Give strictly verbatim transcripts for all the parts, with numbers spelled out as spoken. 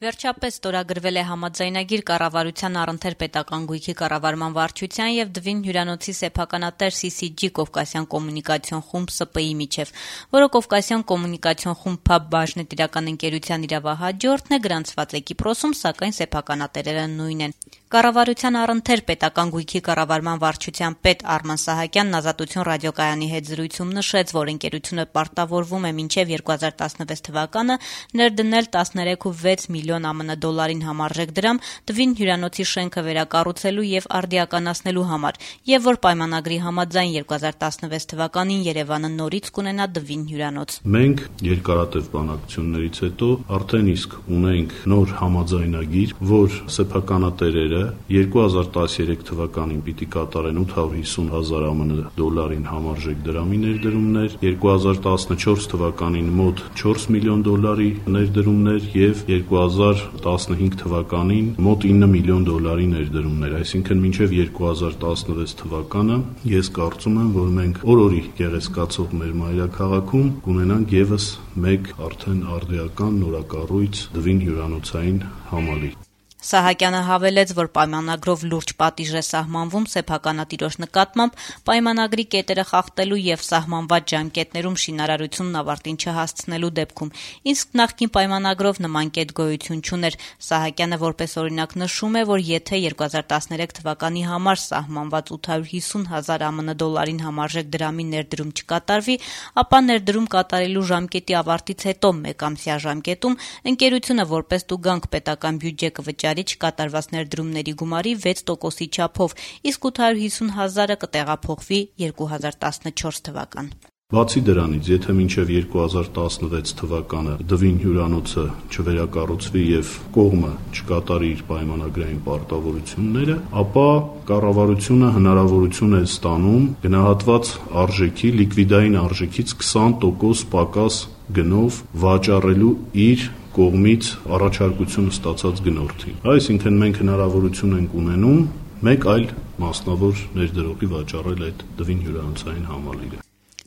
Վերջապես ստորագրվել է համաձայնագիր կառավարության առընթեր պետական գույքի կառավարման վարչության եւ Դվին հյուրանոցի սեփականատեր Սի Սի Ջի Կովկասյան կոմունիկացիոն խումբ Ս Պ ի միջև, որը Կովկասյան կոմունիկացիոն խումբ Փ Բ բաժնետիրական ընկերության իրավահաջորդն է, գրանցված է Կիպրոսում, սակայն սեփականատերերը նույնն են։ Կառավարության առընթեր պետական գույքի կառավարման վարչության պետ Արման Սահակյանն Ազատություն ռադիոկայանի հետ զրույցում նշեց, որ ընկերությունը պարտավորվում է մինչև երկու հազար տասնվեց թվականը ներդնել տասներեք կόμμα վեց միլիոն ԱՄՆ դոլարին համարժեք դրամ Դվին հյուրանոցի շենքը վերակառուցելու եւ արդիականացնելու համար, եւ որ պայմանագրի համաձայն երկու հազար տասնվեց թվականին Երևանը նորից կունենա Դվին հյուրանոց։ Մենք երկարատև բանակցություններից հետո արդեն իսկ ունենք նոր համաձայնագիր, որ սեփականատերերը երկու հազար տասներեք թվականին պիտի կատարեն ութ հարյուր հիսուն հազար ԱՄՆ դոլարին համարժեք դրամի ներդրումներ, երկու հազար տասնչորս թվականին մոտ չորս միլիոն դոլարի ներդրումներ եւ երկու հազար տասնհինգ թվականին մոտ ինը միլիոն դոլարի ներդրումներ, այսինքն մինչեւ երկու հազար տասնվեց թվականը ես կարծում եմ, որ մենք օր-օրի գեղեցկացող մեր մայրաքաղաքում կունենանք եւս մեկ արդեն արդիական նորակառույց Դվին հյուրանոցային համալիր։ Սահակյանը հավելեց, որ պայմանագրով լուրջ պատիժ է սահմանվում սեփականատիրոջ նկատմամբ պայմանագրի կետերը խախտելու եւ սահմանված ժամկետներում շինարարությունն ավարտին չհասցնելու դեպքում, իսկ նախկին պայմանագրով նման կետ գոյություն չուներ։ Սահակյանը որպես օրինակ նշում է, որ եթե երկու հազար տասներեք թվականի համար սահմանված ութ հարյուր հիսուն հազար ԱՄՆ դոլարին համարժեք դրամի ներդրում չկատարվի, ապա ներդրում կատարելու ժամկետի ավարտից հետո մեկամսյա ժամկետում ընկերությունը որպես տուգանք պետական բյուջե կվճարի չկատարված ներդրումների գումարի վեց տոկոսի չափով, իսկ ութ հարյուր հիսուն հազարը կտեղափոխվի երկու հազար տասնչորս թվական։ Բացի դրանից, եթե մինչև երկու հազար տասնվեց թվականը Դվին հյուրանոցը չվերակառուցվի եւ կողմը չկատարի իր պայմանագրային պարտավորությունները, ապա կառավարությունը հնարավորություն է ստանում գնահատված արժեքի, լիկվիդային արժեքից քսան տոկոս պակաս գնով վաճառելու իր կողմից առաջարկություն ստացած գնորդին։ Այսինքն մենք հնարավորություն ենք ունենում մեկ այլ մասնավոր ներդրողի վաճառել այդ Դվին հյուրանոցային համալիրը։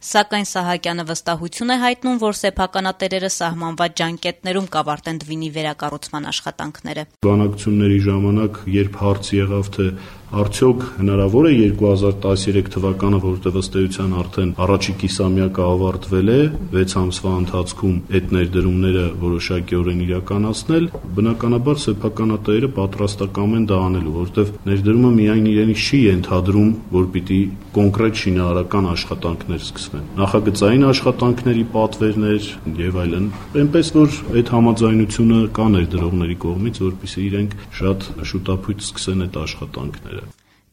Սակայն Սահակյանը վստահություն է հայտնում, որ սեփականատերերը սահմանված ջանկետներում կավարտեն Դվինի վերակառուցման աշխատանքները։ Բանակցությունների ժամանակ, երբ հարց եղավ, թե արդյոք հնարավոր է երկու հազար տասներեք թվականը, որտեղ ըստ էության արդեն առաջի կիսամյակը ավարտվել է, վեց ամսվա ընթացքում այդ ներդրումները որոշակիորեն իրականացնել, բնականաբար սեփականատերերը պատրաստակամ են դա անելու, որտեղ ներդրումը միայն իրենից չի ենթադրում, որ պիտի կոնկրետ շինարարական աշխատանքներ սկսվեն, նախագծային աշխատանքների պատվերներ եւ այլն, այնպես որ այդ համաձայնությունը կա ներդրողների կողմից, որպեսզի իրենք շատ շուտապույտ սկսեն այդ աշխատանքները։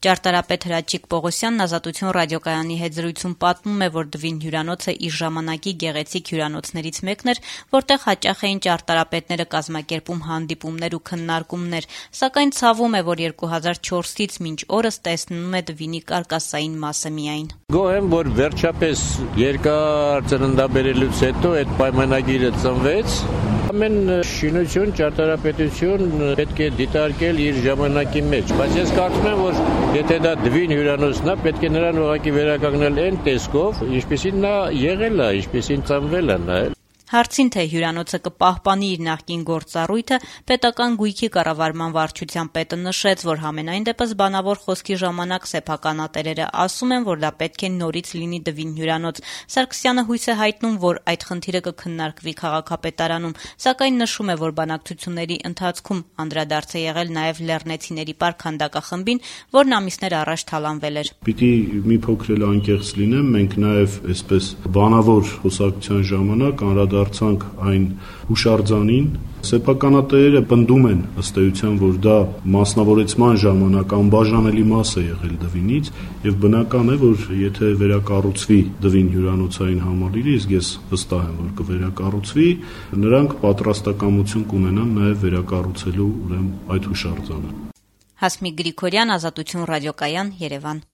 Ճարտարապետ Հրաչիկ Պողոսյանն Ազատություն ռադիոկայանի հետ զրույցում պատմում է, որ Դվին հյուրանոցը իր ժամանակի գեղեցիկ հյուրանոցներից մեկն էր, որտեղ հաճախ էին ճարտարապետները կազմակերպում հանդիպումներ ու քննարկումներ, սակայն ցավում է, որ երկու հազար չորսից մինչ օրս տեսնում է Դվինի կարկասային մասը միայն։ Գոհ եմ, որ վերջապես երկար ծննդաբերելուց հետո այդ պայմանագիրը ծնվեց։ Ամեն շինություն, ճարտարապետություն պետք է դիտարկել իր ժամանակի մեջ, բայց ես կարծում եմ, որ եթե դա Դվին հյուրանոցն է, պետք է նրան ուղղակի վերականգնել այն տեսքով, ինչպեսին նա եղել է, ինչպեսին ծնվել է նա։ Հարցին, թե հյուրանոցը կպահպանի իր նախկին գործառույթը, պետական գույքի կառավարման վարչության պետը նշեց, որ համենայն դեպս բանավոր խոսքի ժամանակ սեփականատերերը ասում են, որ դա պետք է նորից լինի Դվին հյուրանոց։ Սարգսյանը հույս է հայտնում, որ այդ խնդիրը կքննարկվի քաղաքապետարանում, սակայն նշում է, որ բանակցությունների ընթացքում անդրադարձ է եղել նաև լեռնեցիների պարկ քանդակախմբին, որն ամիսներ առաջ թալանվել էր։ Պիտի մի փոքր էլ անկեղծ լինեմ, մենք նաև այսպես բանավոր խոսակցության ժամանակ անդրադարձանք այն հուշարձանին, սեփականատերերը պնդում են ըստ էության, որ դա մասնավորեցման ժամանակ անբաժանելի մաս է եղել Դվինից եւ բնական է, որ եթե վերակառուցվի Դվին հյուրանոցային համալիրը, իսկ ես վստահ եմ, որ կվերակառուցվի, նրանք պատրաստակամություն կունենան նաեւ վերակառուցելու ուրեմն այդ հուշարձանը։ Հասմիկ Գրիգորյան, Ազատություն ռադիոկայան, Երևան։